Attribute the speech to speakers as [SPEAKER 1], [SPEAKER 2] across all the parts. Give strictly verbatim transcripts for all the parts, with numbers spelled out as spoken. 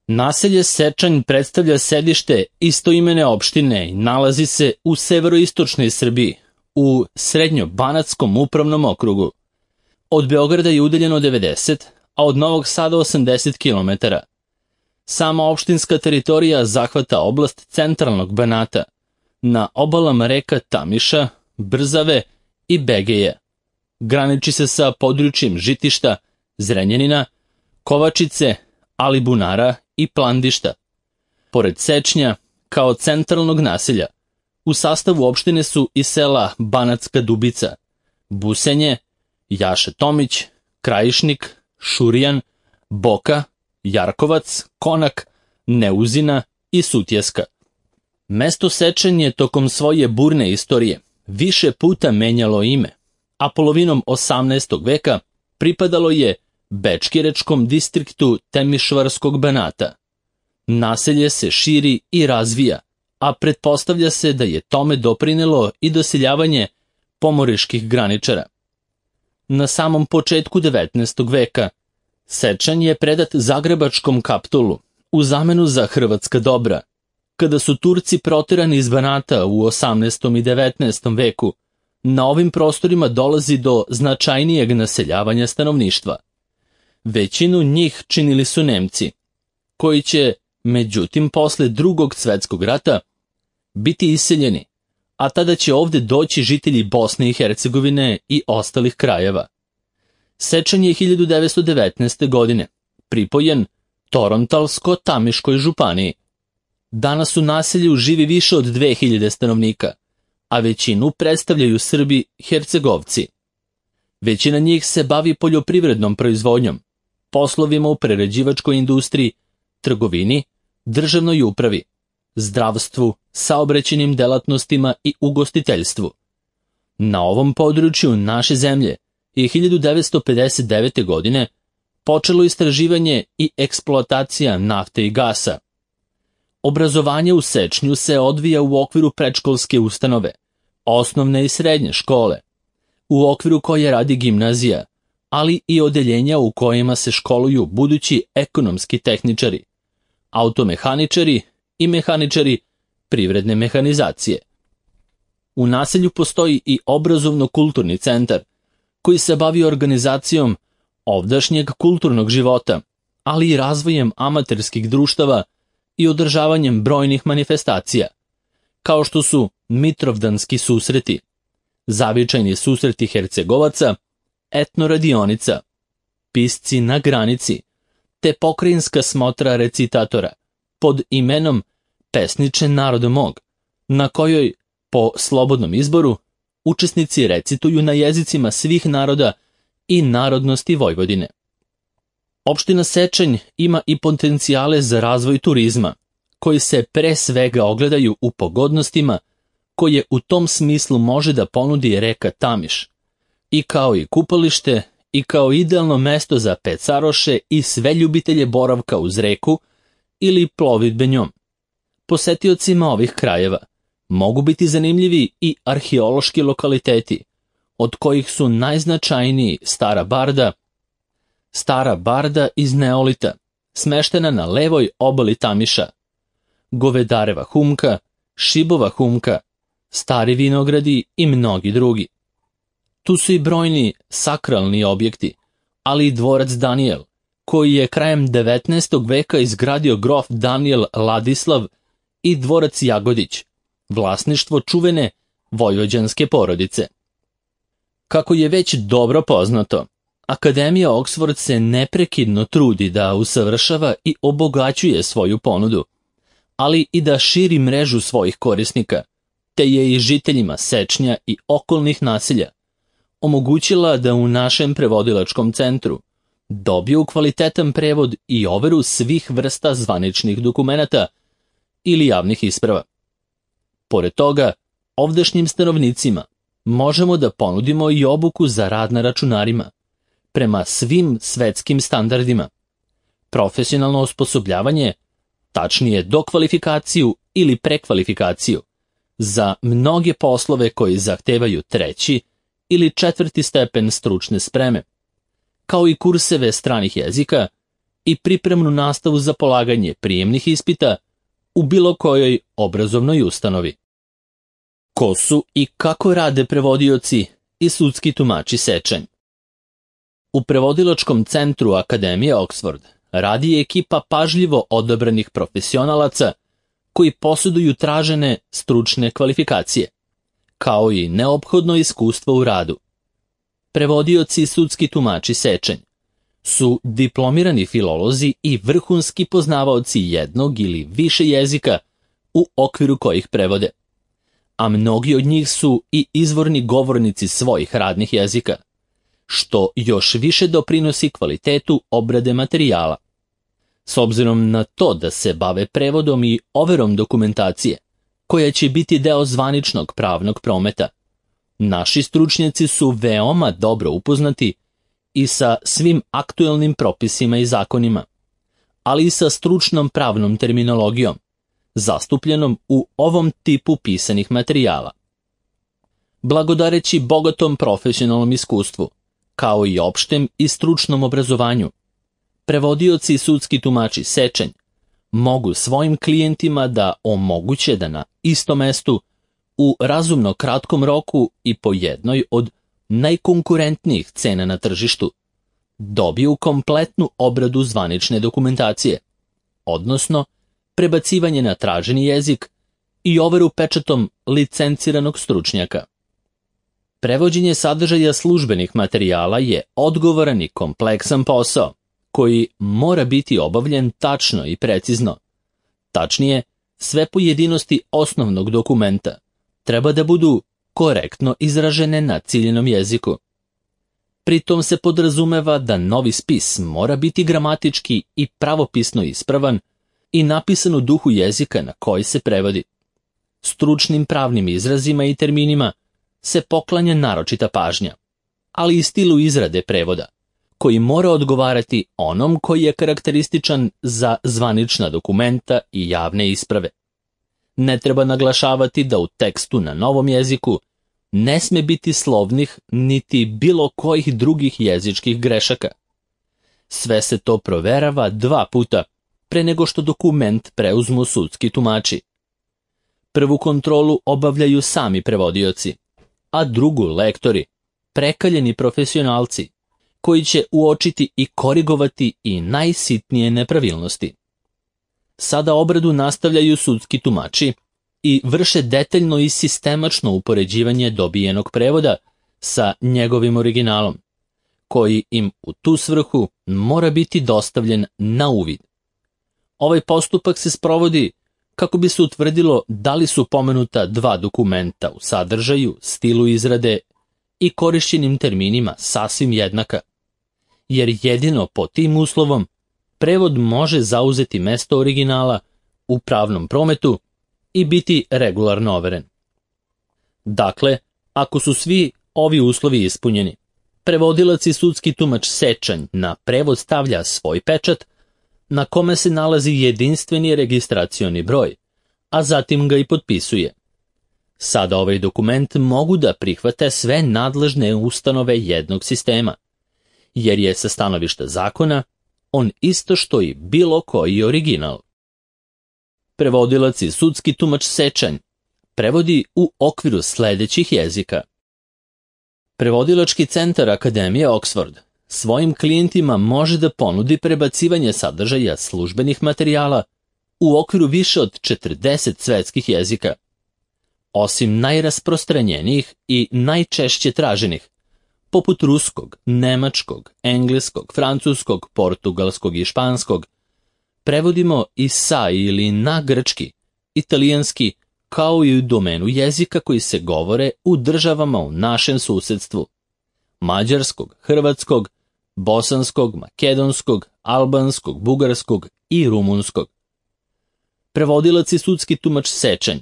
[SPEAKER 1] Naselje Sečanj predstavlja sedište istoimene opštine i nalazi se u severoistočnoj Srbiji, u Srednjobanatskom upravnom okrugu. Od Beograda je udaljeno devedeset, a od Novog Sada osamdeset kilometara. Sama opštinska teritorija zahvata oblast centralnog Banata, na obalama reka Tamiša, Brzave i Begeja. Graniči se sa područjem Žitišta, Zrenjanina, Kovačice, Alibunara i Plandišta. Pored Sečnja, kao centralnog naselja, u sastavu opštine su i sela Banatska Dubica, Busenje, Jaša Tomić, Krajišnik, Šurijan, Boka, Jarkovac, Konak, Neuzina i Sutjeska. Mesto Sečanj je tokom svoje burne istorije više puta menjalo ime, a polovinom osamnaestog veka pripadalo je Bečkirečkom distriktu Temišvarskog Banata. Naselje se širi i razvija, a pretpostavlja se da je tome doprinelo i doseljavanje pomoriških graničara. Na samom početku devetnaestog veka Sečanj je predat Zagrebačkom kapitulu u zamenu za hrvatska dobra. Kada su Turci proterani iz Banata u osamnaestom i devetnaestom veku, na ovim prostorima dolazi do značajnijeg naseljavanja stanovništva. Većinu njih činili su Nemci, koji će, međutim, posle Drugog svetskog rata biti iseljeni, a tada će ovde doći žitelji Bosne i Hercegovine i ostalih krajeva. Sečanj je hiljadu devetsto devetnaeste. godine pripojen Torontalsko-Tamiškoj županiji. Danas u naselju živi više od dve hiljade stanovnika, a većinu predstavljaju Srbi Hercegovci. Većina njih se bavi poljoprivrednom proizvodnjom, poslovima u prerađivačkoj industriji, trgovini, državnoj upravi, zdravstvu, saobraćajnim delatnostima i ugostiteljstvu. Na ovom području naše zemlje je hiljadu devetsto pedeset devete. godine počelo istraživanje i eksploatacija nafte i gasa. Obrazovanje u Sečnju se odvija u okviru predškolske ustanove, osnovne i srednje škole, u okviru koje radi gimnazija, ali i odeljenja u kojima se školuju budući ekonomski tehničari, automehaničari i mehaničari privredne mehanizacije. U naselju postoji i obrazovno-kulturni centar, koji se bavi organizacijom ovdašnjeg kulturnog života, ali i razvojem amaterskih društava i održavanjem brojnih manifestacija, kao što su Mitrovdanski susreti, zavičajni susreti Hercegovaca, etnoradionica, pisci na granici, te pokrajinska smotra recitatora pod imenom Pesniče naroda mog, na kojoj, po slobodnom izboru, učesnici recituju na jezicima svih naroda i narodnosti Vojvodine. Opština Sečanj ima i potencijale za razvoj turizma, koji se pre svega ogledaju u pogodnostima koje u tom smislu može da ponudi reka Tamiš, i kao i kupalište, i kao idealno mesto za pecaroše i sve ljubitelje boravka uz reku ili plovidbe njom. Posetiocima ovih krajeva mogu biti zanimljivi i arheološki lokaliteti, od kojih su najznačajniji Stara Barda, Stara Barda iz Neolita, smeštena na levoj obali Tamiša, Govedareva humka, Šibova humka, Stari vinogradi i mnogi drugi. Tu su i brojni sakralni objekti, ali i dvorac Danijel, koji je krajem devetnaestog veka izgradio grof Danijel Ladislav, i dvorac Jagodić, vlasništvo čuvene vojvođanske porodice. Kako je već dobro poznato, Akademija Oxford se neprekidno trudi da usavršava i obogaćuje svoju ponudu, ali i da širi mrežu svojih korisnika, te je i žiteljima Sečnja i okolnih naselja omogućila da u našem prevodilačkom centru dobiju kvalitetan prevod i overu svih vrsta zvaničnih dokumenata ili javnih isprava. Pored toga, ovdašnjim stanovnicima možemo da ponudimo i obuku za rad na računarima, prema svim svetskim standardima, profesionalno osposobljavanje, tačnije dokvalifikaciju ili prekvalifikaciju, za mnoge poslove koji zahtevaju treći ili četvrti stepen stručne spreme, kao i kurseve stranih jezika i pripremnu nastavu za polaganje prijemnih ispita u bilo kojoj obrazovnoj ustanovi. Ko su i kako rade prevodioci i sudski tumači sečanj? U prevodilačkom centru Akademije Oxford radi ekipa pažljivo odabranih profesionalaca koji posjeduju tražene stručne kvalifikacije, kao i neophodno iskustvo u radu. Prevodioci i sudski tumači sečanj su diplomirani filolozi i vrhunski poznavaoci jednog ili više jezika u okviru kojih prevode, a mnogi od njih su i izvorni govornici svojih radnih jezika, što još više doprinosi kvalitetu obrade materijala. S obzirom na to da se bave prevodom i overom dokumentacije, koja će biti deo zvaničnog pravnog prometa, naši stručnjaci su veoma dobro upoznati i sa svim aktuelnim propisima i zakonima, ali i sa stručnom pravnom terminologijom, zastupljenom u ovom tipu pisanih materijala. Blagodareći bogatom profesionalnom iskustvu, kao i opštem i stručnom obrazovanju, prevodioci i sudski tumači sečanj mogu svojim klijentima da omoguće da na istom mestu, u razumno kratkom roku i po jednoj od najkonkurentnijih cena na tržištu, dobiju kompletnu obradu zvanične dokumentacije, odnosno prebacivanje na traženi jezik i overu pečatom licenciranog stručnjaka. Prevođenje sadržaja službenih materijala je odgovoran i kompleksan posao, koji mora biti obavljen tačno i precizno. Tačnije, sve pojedinosti osnovnog dokumenta treba da budu korektno izražene na ciljenom jeziku. Pritom se podrazumeva da novi spis mora biti gramatički i pravopisno ispravan i napisan u duhu jezika na koji se prevodi. Stručnim pravnim izrazima i terminima se poklanja naročita pažnja, ali i stilu izrade prevoda, koji mora odgovarati onom koji je karakterističan za zvanična dokumenta i javne isprave. Ne treba naglašavati da u tekstu na novom jeziku ne sme biti slovnih niti bilo kojih drugih jezičkih grešaka. Sve se to proverava dva puta pre nego što dokument preuzmu sudski tumači. Prvu kontrolu obavljaju sami prevodioci, a drugu lektori, prekaljeni profesionalci, koji će uočiti i korigovati i najsitnije nepravilnosti. Sada obradu nastavljaju sudski tumači i vrše detaljno i sistemačno upoređivanje dobijenog prevoda sa njegovim originalom, koji im u tu svrhu mora biti dostavljen na uvid. Ovaj postupak se sprovodi kako bi se utvrdilo da li su pomenuta dva dokumenta u sadržaju, stilu izrade i korišćenim terminima sasvim jednaka, jer jedino po tim uslovom prevod može zauzeti mesto originala u pravnom prometu i biti regularno overen. Dakle, ako su svi ovi uslovi ispunjeni, prevodilac i sudski tumač sečanj na prevod stavlja svoj pečat, na kome se nalazi jedinstveni registracioni broj, a zatim ga i potpisuje. Sada ovaj dokument mogu da prihvate sve nadležne ustanove jednog sistema, jer je sa stanovišta zakona on isto što i bilo koji original. Prevodilac i sudski tumač sečanj prevodi u okviru sledećih jezika. Prevodilački centar Akademije Oxford svojim klijentima može da ponudi prebacivanje sadržaja službenih materijala u okviru više od četrdeset svetskih jezika. Osim najrasprostranjenijih i najčešće traženih, poput ruskog, nemačkog, engleskog, francuskog, portugalskog i španskog, prevodimo i sa ili na grčki, italijanski, kao i u domenu jezika koji se govore u državama u našem susedstvu: mađarskog, hrvatskog, bosanskog, makedonskog, albanskog, bugarskog i rumunskog. Prevodilac i sudski tumač sečanj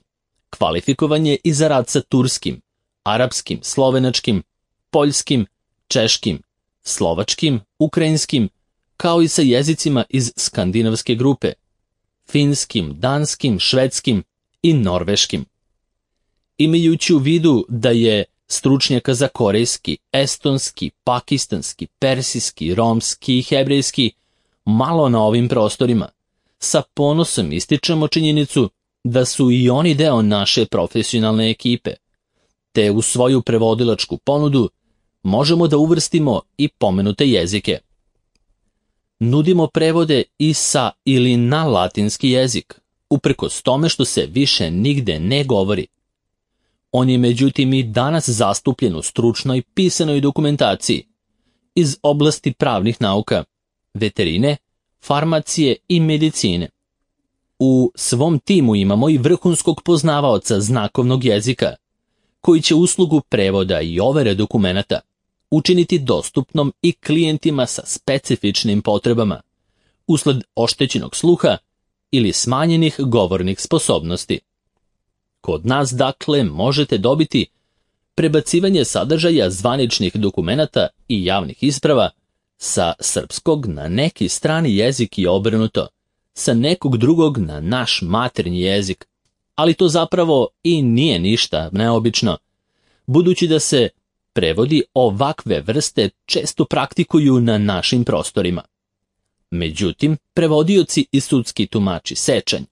[SPEAKER 1] kvalifikovan je i za rad sa turskim, arapskim, slovenačkim, poljskim, češkim, slovačkim, ukrajinskim, kao i sa jezicima iz skandinavske grupe, finskim, danskim, švedskim i norveškim. Imajući u vidu da je stručnjaka za korejski, estonski, pakistanski, persijski, romski i hebrejski malo na ovim prostorima, sa ponosom ističemo činjenicu da su i oni deo naše profesionalne ekipe, te u svoju prevodilačku ponudu možemo da uvrstimo i pomenute jezike. Nudimo prevode i sa ili na latinski jezik, uprkos tome što se više nigde ne govori. On je međutim i danas zastupljen u stručnoj pisanoj dokumentaciji iz oblasti pravnih nauka, veterine, farmacije i medicine. U svom timu imamo i vrhunskog poznavaoca znakovnog jezika, koji će uslugu prevoda i overe dokumenata učiniti dostupnom i klijentima sa specifičnim potrebama, usled oštećenog sluha ili smanjenih govornih sposobnosti. Kod nas, dakle, možete dobiti prebacivanje sadržaja zvaničnih dokumenata i javnih isprava sa srpskog na neki strani jezik i obrnuto, sa nekog drugog na naš maternji jezik, ali to zapravo i nije ništa neobično, budući da se prevodi ovakve vrste često praktikuju na našim prostorima. Međutim, prevodioci i sudski tumači sečanj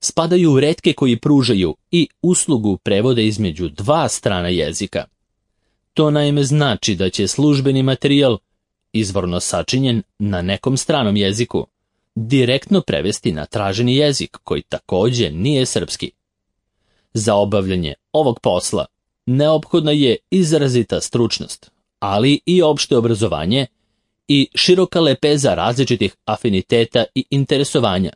[SPEAKER 1] spadaju u retke koji pružaju i uslugu prevoda između dva strana jezika. To naime znači da će službeni materijal, izvorno sačinjen na nekom stranom jeziku, direktno prevesti na traženi jezik koji takođe nije srpski. Za obavljanje ovog posla neophodna je izrazita stručnost, ali i opšte obrazovanje i široka lepeza različitih afiniteta i interesovanja,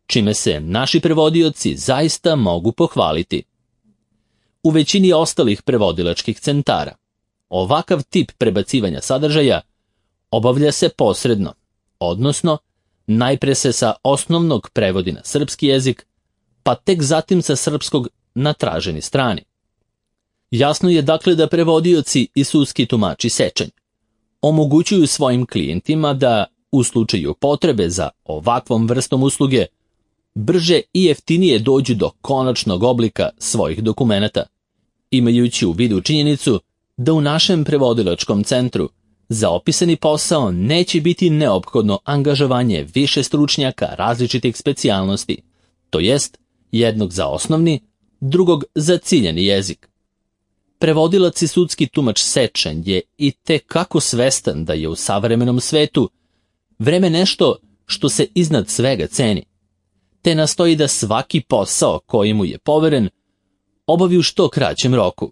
[SPEAKER 1] čime se naši prevodioci zaista mogu pohvaliti. U većini ostalih prevodilačkih centara ovakav tip prebacivanja sadržaja obavlja se posredno, odnosno najpre se sa osnovnog prevodi na srpski jezik, pa tek zatim sa srpskog na traženi strani. Jasno je dakle da prevodioci i sudski tumači sečanj omogućuju svojim klijentima da, u slučaju potrebe za ovakvom vrstom usluge, brže i jeftinije dođu do konačnog oblika svojih dokumenata, imajući u vidu činjenicu da u našem prevodilačkom centru za opisani posao neće biti neophodno angažovanje više stručnjaka različitih specijalnosti, to jest jednog za osnovni, drugog za ciljani jezik. Prevodilac i sudski tumač sečanj je i te kako svestan da je u savremenom svetu vreme nešto što se iznad svega ceni, te nastoji da svaki posao koji mu je poveren obavi u što kraćem roku.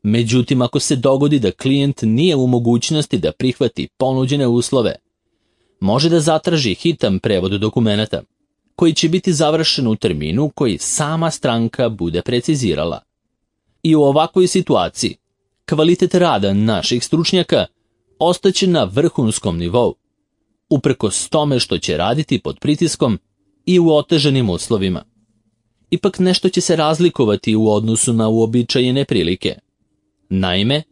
[SPEAKER 1] Međutim, ako se dogodi da klijent nije u mogućnosti da prihvati ponuđene uslove, može da zatraži hitan prevod dokumenata, koji će biti završen u terminu koji sama stranka bude precizirala. I u ovakvoj situaciji kvalitet rada naših stručnjaka ostaće na vrhunskom nivou, uprkos tome što će raditi pod pritiskom i u otežanim uslovima. Ipak nešto će se razlikovati u odnosu na uobičajene prilike. Naime,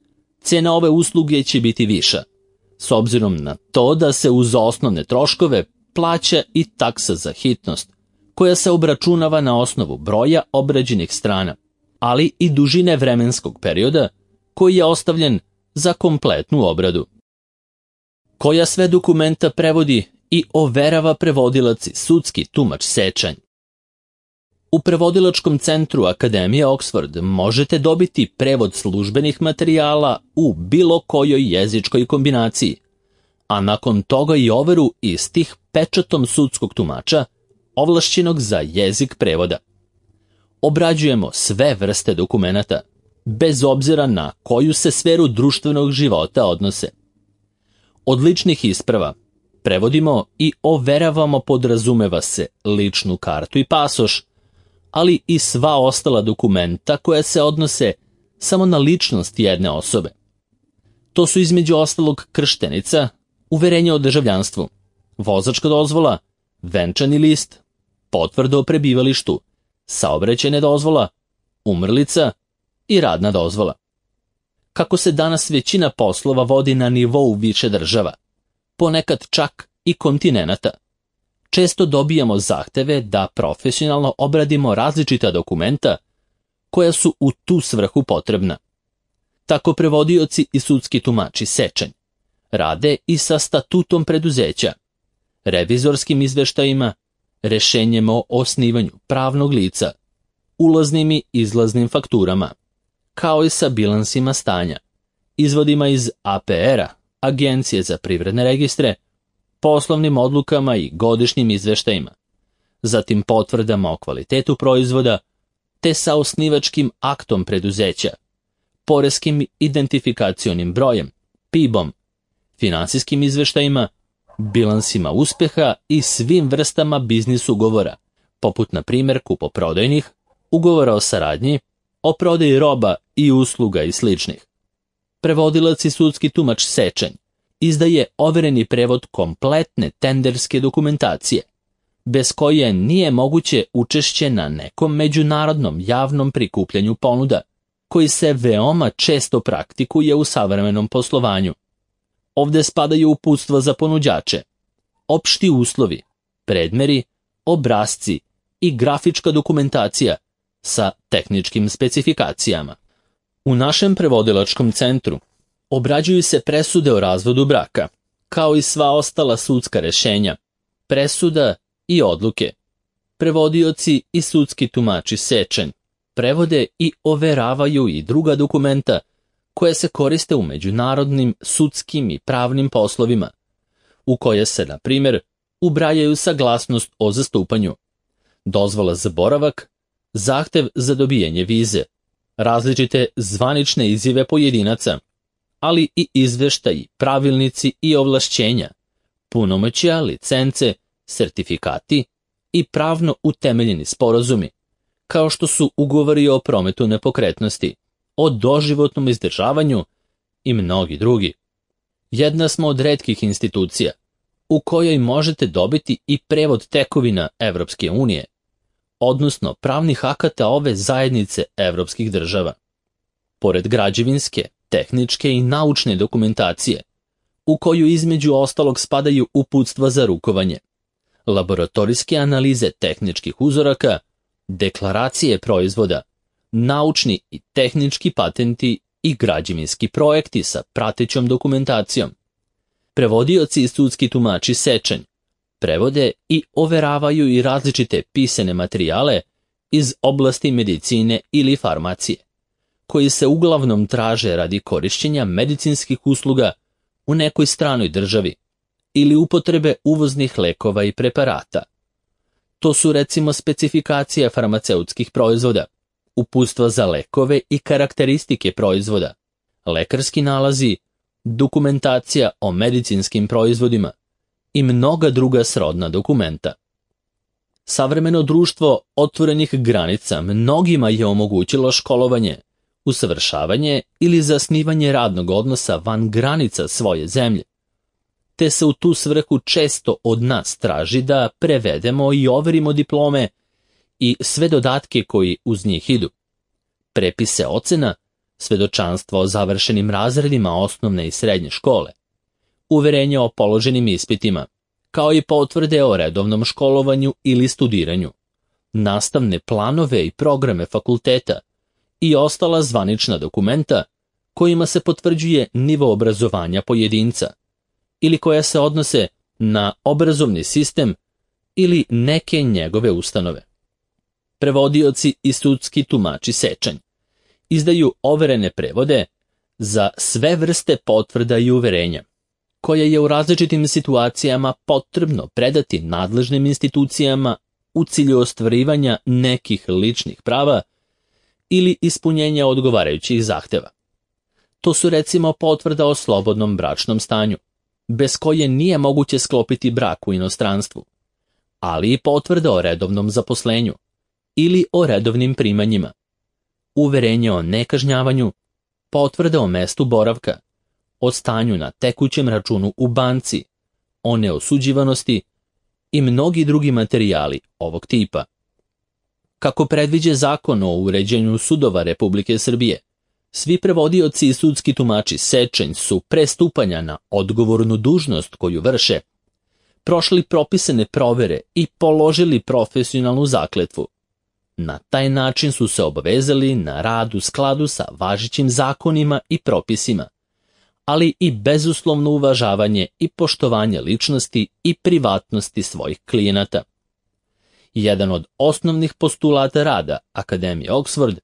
[SPEAKER 1] cena ove usluge će biti viša, s obzirom na to da se uz osnovne troškove plaća i taksa za hitnost, koja se obračunava na osnovu broja obrađenih strana, ali i dužine vremenskog perioda koji je ostavljen za kompletnu obradu. Koja sve dokumenta prevodi i overava prevodilac i sudski tumač sečanj? U prevodilačkom centru Akademije Oxford možete dobiti prevod službenih materijala u bilo kojoj jezičkoj kombinaciji, a nakon toga i overu istih pečatom sudskog tumača, ovlašćenog za jezik prevoda. Obrađujemo sve vrste dokumenata, bez obzira na koju se sferu društvenog života odnose. Od ličnih isprava prevodimo i overavamo, podrazumeva se, ličnu kartu i pasoš, ali i sva ostala dokumenta koja se odnose samo na ličnost jedne osobe. To su između ostalog krštenica, uverenje o državljanstvu, vozačka dozvola, venčani list, potvrda o prebivalištu, saobraćajna dozvola, umrlica i radna dozvola. Kako se danas većina poslova vodi na nivou više država, ponekad čak i kontinenata, često dobijamo zahteve da profesionalno obradimo različita dokumenta koja su u tu svrhu potrebna. Tako prevodioci i sudski tumači sečanj rade i sa statutom preduzeća, revizorskim izveštajima, rešenjem o osnivanju pravnog lica, ulaznim i izlaznim fakturama, kao i sa bilansima stanja, izvodima iz A P R-a, Agencije za privredne registre, poslovnim odlukama i godišnjim izveštajima, zatim potvrdama o kvalitetu proizvoda, te sa osnivačkim aktom preduzeća, poreskim identifikacionim brojem, P I B-om, finansijskim izveštajima, bilansima uspeha i svim vrstama biznis ugovora, poput na primjer kupoprodajnih, ugovora o saradnji, o prodaji roba i usluga i sličnih. Prevodilac i sudski tumač Sečanj izdaje overeni prevod kompletne tenderske dokumentacije, bez koje nije moguće učešće na nekom međunarodnom javnom prikupljanju ponuda, koji se veoma često praktikuje u savremenom poslovanju. Ovde spadaju uputstva za ponuđače, opšti uslovi, predmeri, obrasci i grafička dokumentacija sa tehničkim specifikacijama. U našem prevodilačkom centru obrađuju se presude o razvodu braka, kao i sva ostala sudska rešenja, presuda i odluke. Prevodioci i sudski tumači Sečanj prevode i overavaju i druga dokumenta koje se koriste u međunarodnim sudskim i pravnim poslovima, u koje se, na primjer, ubrajaju saglasnost o zastupanju, dozvola za boravak, zahtev za dobijanje vize, različite zvanične izjave pojedinaca, ali i izveštaji, pravilnici i ovlašćenja, punomoćja, licence, sertifikati i pravno utemeljeni sporazumi, kao što su ugovori o prometu nepokretnosti, o doživotnom izdržavanju i mnogi drugi. Jedna smo od retkih institucija u kojoj možete dobiti i prevod tekovina Evropske unije, odnosno pravnih akata ove zajednice evropskih država. Pored građevinske, tehničke i naučne dokumentacije, u koju između ostalog spadaju uputstva za rukovanje, laboratorijske analize tehničkih uzoraka, deklaracije proizvoda, naučni i tehnički patenti i građevinski projekti sa pratećom dokumentacijom. Prevodioci i sudski tumači Sečanj prevode i overavaju i različite pisane materijale iz oblasti medicine ili farmacije, koji se uglavnom traže radi korišćenja medicinskih usluga u nekoj stranoj državi ili upotrebe uvoznih lekova i preparata. To su recimo specifikacija farmaceutskih proizvoda, uputstva za lekove i karakteristike proizvoda, lekarski nalazi, dokumentacija o medicinskim proizvodima i mnoga druga srodna dokumenta. Savremeno društvo otvorenih granica mnogima je omogućilo školovanje, usavršavanje ili zasnivanje radnog odnosa van granica svoje zemlje, te se u tu svrhu često od nas traži da prevedemo i overimo diplome i sve dodatke koji uz njih idu, prepise ocena, svedočanstva o završenim razredima osnovne i srednje škole, uverenje o položenim ispitima, kao i potvrde o redovnom školovanju ili studiranju, nastavne planove i programe fakulteta i ostala zvanična dokumenta kojima se potvrđuje nivo obrazovanja pojedinca ili koja se odnose na obrazovni sistem ili neke njegove ustanove. Prevodioci i sudski tumači Sečanj izdaju overene prevode za sve vrste potvrda i uverenja, koje je u različitim situacijama potrebno predati nadležnim institucijama u cilju ostvarivanja nekih ličnih prava ili ispunjenja odgovarajućih zahteva. To su recimo potvrda o slobodnom bračnom stanju, bez koje nije moguće sklopiti brak u inostranstvu, ali i potvrda o redovnom zaposlenju ili o redovnim primanjima, uverenje o nekažnjavanju, potvrda o mestu boravka, o stanju na tekućem računu u banci, o neosuđivanosti i mnogi drugi materijali ovog tipa. Kako predviđa Zakon o uređenju sudova Republike Srbije, svi prevodioci i sudski tumači Sečanj su pre stupanja na odgovornu dužnost koju vrše, prošli propisane provere i položili profesionalnu zakletvu. Na taj način su se obavezali na rad u skladu sa važećim zakonima i propisima, ali i bezuslovno uvažavanje i poštovanje ličnosti i privatnosti svojih klijenata. Jedan od osnovnih postulata rada Akademije Oxford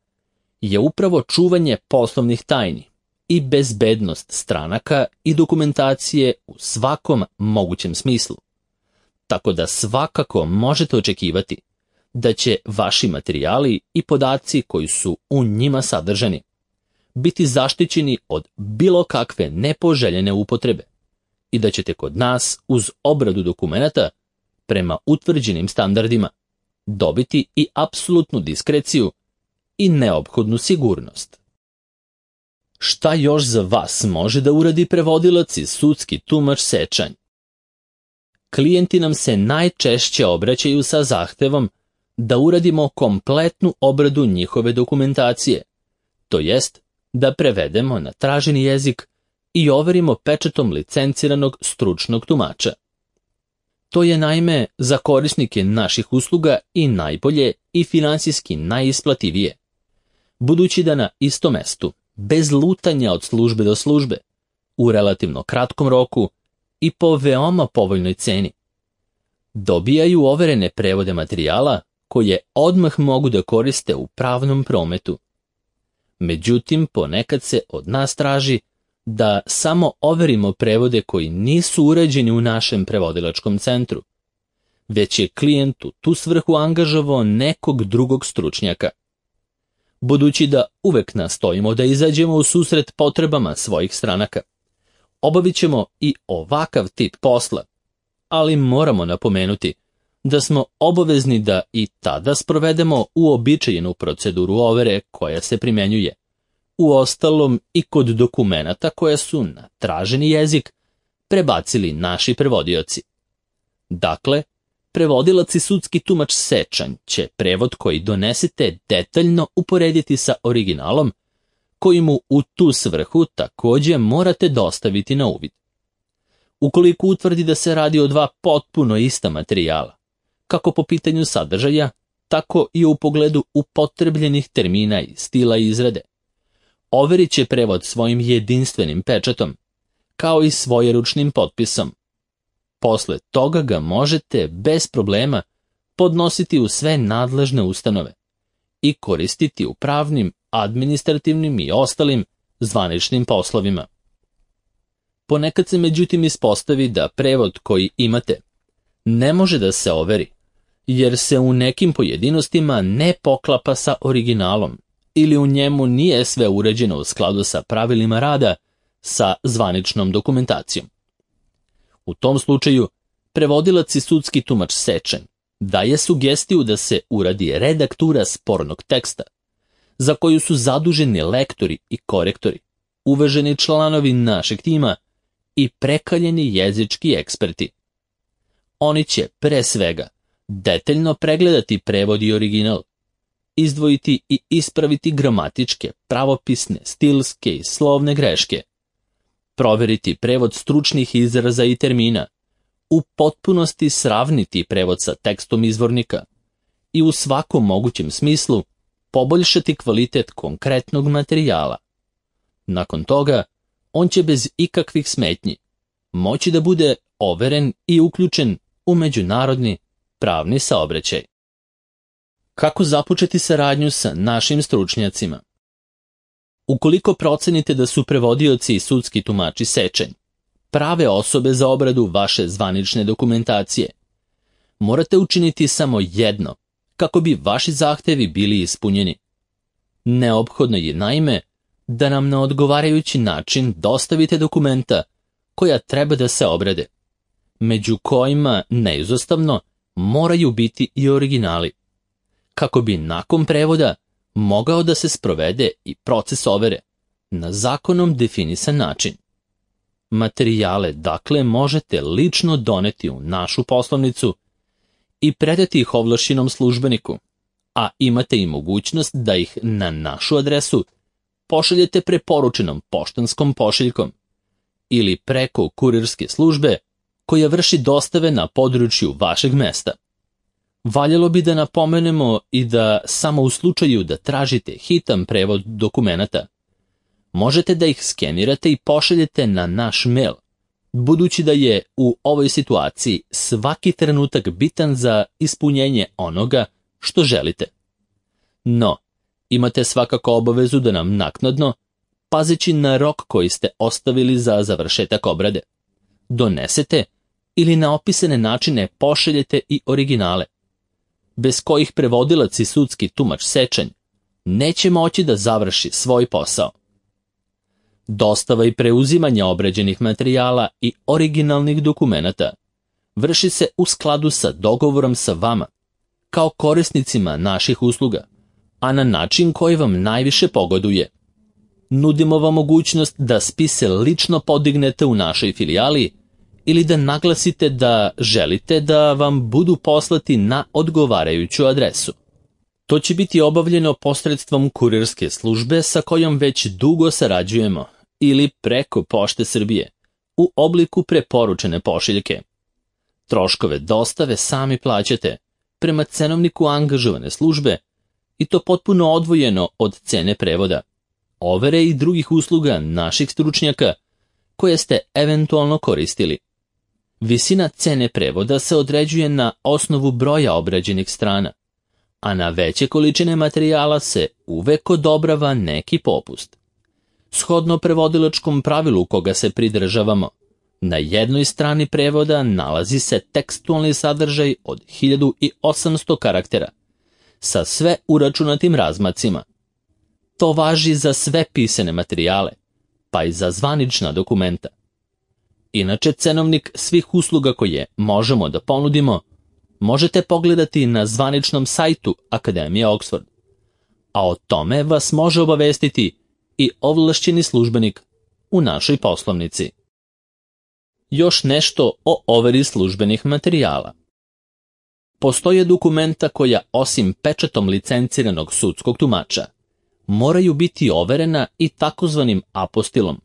[SPEAKER 1] je upravo čuvanje poslovnih tajni i bezbednost stranaka i dokumentacije u svakom mogućem smislu. Tako da svakako možete očekivati da će vaši materijali i podaci koji su u njima sadržani biti zaštićeni od bilo kakve nepoželjene upotrebe i da ćete kod nas uz obradu dokumenata prema utvrđenim standardima dobiti i apsolutnu diskreciju i neophodnu sigurnost. Šta još za vas može da uradi prevodilac i sudski tumač sečanj? Klijenti nam se najčešće obraćaju sa zahtevom da uradimo kompletnu obradu njihove dokumentacije, to jest da prevedemo na traženi jezik i overimo pečatom licenciranog stručnog tumača. To je naime za korisnike naših usluga i najbolje i finansijski najisplativije, budući da na istom mestu, bez lutanja od službe do službe, u relativno kratkom roku i po veoma povoljnoj ceni, dobijaju overene prevode materijala koje odmah mogu da koriste u pravnom prometu. Međutim, ponekad se od nas traži da samo overimo prevode koji nisu urađeni u našem prevodilačkom centru, već je klijent u tu svrhu angažovao nekog drugog stručnjaka. Budući da uvek nastojimo da izađemo u susret potrebama svojih stranaka, obavit ćemo i ovakav tip posla, ali moramo napomenuti da smo obavezni da i tada sprovedemo uobičajenu proceduru overe koja se primenjuje, uostalom i kod dokumenata koje su na traženi jezik prebacili naši prevodioci. Dakle, prevodilac i sudski tumač sečanj će prevod koji donesete detaljno uporediti sa originalom, koji mu u tu svrhu također morate dostaviti na uvid. Ukoliko utvrdi da se radi o dva potpuno ista materijala, kako po pitanju sadržaja, tako i u pogledu upotrebljenih termina i stila izrade, overit će prevod svojim jedinstvenim pečatom, kao i svojeručnim potpisom. Posle toga ga možete bez problema podnositi u sve nadležne ustanove i koristiti u pravnim, administrativnim i ostalim zvaničnim poslovima. Ponekad se međutim ispostavi da prevod koji imate ne može da se overi, jer se u nekim pojedinostima ne poklapa sa originalom ili u njemu nije sve uređeno u skladu sa pravilima rada sa zvaničnom dokumentacijom. U tom slučaju, prevodilac i sudski tumač sečanj daje sugestiju da se uradi redaktura spornog teksta, za koju su zaduženi lektori i korektori, uvaženi članovi našeg tima i prekaljeni jezički eksperti. Oni će pre svega detaljno pregledati prevod i original, izdvojiti i ispraviti gramatičke, pravopisne, stilske i slovne greške, proveriti prevod stručnih izraza i termina, u potpunosti sravniti prevod sa tekstom izvornika i u svakom mogućem smislu poboljšati kvalitet konkretnog materijala. Nakon toga, on će bez ikakvih smetnji moći da bude overen i uključen u međunarodni pravni saobraćaj. Kako započeti saradnju sa našim stručnjacima? Ukoliko procenite da su prevodioci i sudski tumači sečanj prave osobe za obradu vaše zvanične dokumentacije, morate učiniti samo jedno kako bi vaši zahtevi bili ispunjeni. Neophodno je naime da nam na odgovarajući način dostavite dokumenta koja treba da se obrade, među kojima neizostavno moraju biti i originali, kako bi nakon prevoda mogao da se sprovede i proces overe na zakonom definisan način. Materijale dakle možete lično doneti u našu poslovnicu i predati ih ovlašćenom službeniku, a imate i mogućnost da ih na našu adresu pošaljete preporučenom poštanskom pošiljkom ili preko kurirske službe koja vrši dostave na području vašeg mesta. Valjalo bi da napomenemo i da samo u slučaju da tražite hitan prevod dokumenata, možete da ih skenirate i pošaljete na naš mail, budući da je u ovoj situaciji svaki trenutak bitan za ispunjenje onoga što želite. No, imate svakako obavezu da nam naknadno, pazeći na rok koji ste ostavili za završetak obrade, donesete ili na opisane načine pošaljete i originale, bez kojih prevodilac i sudski tumač Sečanj neće moći da završi svoj posao. Dostava i preuzimanje obrađenih materijala i originalnih dokumenata vrši se u skladu sa dogovorom sa vama, kao korisnicima naših usluga, a na način koji vam najviše pogoduje. Nudimo vam mogućnost da spise lično podignete u našoj filijali ili da naglasite da želite da vam budu poslati na odgovarajuću adresu. To će biti obavljeno posredstvom kurirske službe sa kojom već dugo sarađujemo ili preko Pošte Srbije u obliku preporučene pošiljke. Troškove dostave sami plaćate prema cenovniku angažovane službe i to potpuno odvojeno od cene prevoda, overe i drugih usluga naših stručnjaka koje ste eventualno koristili. Visina cene prevoda se određuje na osnovu broja obrađenih strana, a na veće količine materijala se uvek odobrava neki popust. Shodno prevodilačkom pravilu koga se pridržavamo, na jednoj strani prevoda nalazi se tekstualni sadržaj od hiljadu osamsto karaktera, sa sve uračunatim razmacima. To važi za sve pisane materijale, pa i za zvanična dokumenta. Inače, cenovnik svih usluga koje možemo da ponudimo možete pogledati na zvaničnom sajtu Akademije Oxford, a o tome vas može obavestiti i ovlašćeni službenik u našoj poslovnici. Još nešto o overi službenih materijala. Postoje dokumenta koja, osim pečatom licenciranog sudskog tumača, moraju biti overena i takozvanim apostilom.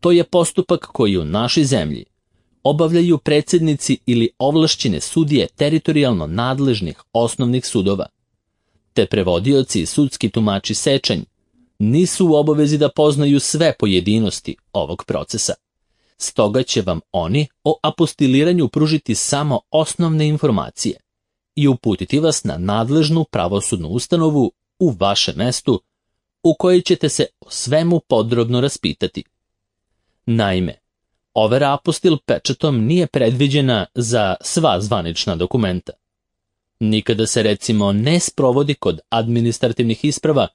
[SPEAKER 1] To je postupak koji u našoj zemlji obavljaju predsjednici ili ovlašćene sudije teritorijalno nadležnih osnovnih sudova, te prevodioci i sudski tumači Sečanj nisu u obavezi da poznaju sve pojedinosti ovog procesa. Stoga će vam oni o apostiliranju pružiti samo osnovne informacije i uputiti vas na nadležnu pravosudnu ustanovu u vašem mestu u kojoj ćete se o svemu podrobno raspitati. Naime, overa apostil pečatom nije predviđena za sva zvanična dokumenta. Nikada se recimo ne sprovodi kod administrativnih isprava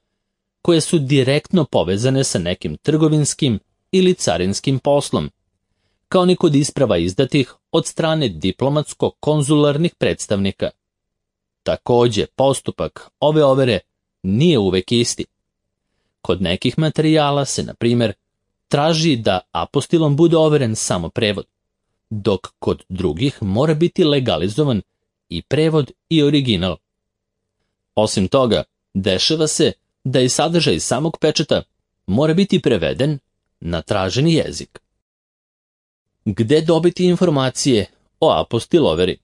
[SPEAKER 1] koje su direktno povezane sa nekim trgovinskim ili carinskim poslom, kao ni kod isprava izdatih od strane diplomatsko-konzularnih predstavnika. Također, postupak ove overe nije uvek isti. Kod nekih materijala se, na primjer, traži da apostilom bude overen samo prevod, dok kod drugih mora biti legalizovan i prevod i original. Osim toga, dešava se da i sadržaj samog pečata mora biti preveden na traženi jezik. Gde dobiti informacije o apostil overi?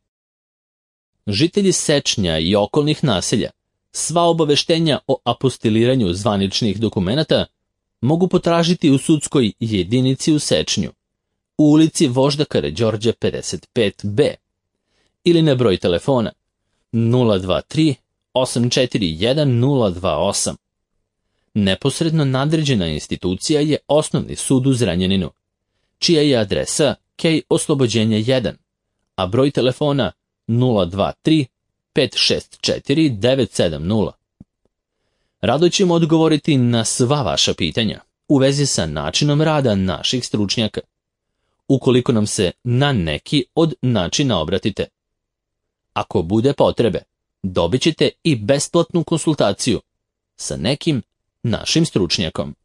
[SPEAKER 1] Žitelji Sečnja i okolnih naselja sva obaveštenja o apostiliranju zvaničnih dokumenata mogu potražiti u sudskoj jedinici u Sečnju, u ulici Vožda Karađorđa pedeset pet be ili na broj telefona nula dva tri osam četiri jedan nula dva osam. Neposredno nadređena institucija je Osnovni sud u Zrenjaninu, čija je adresa Kej Oslobođenja jedan, a broj telefona nula dva tri pet šest četiri devet sedam nula. Rado ćemo odgovoriti na sva vaša pitanja u vezi sa načinom rada naših stručnjaka, ukoliko nam se na neki od načina obratite. Ako bude potrebe, dobit ćete i besplatnu konsultaciju sa nekim našim stručnjakom.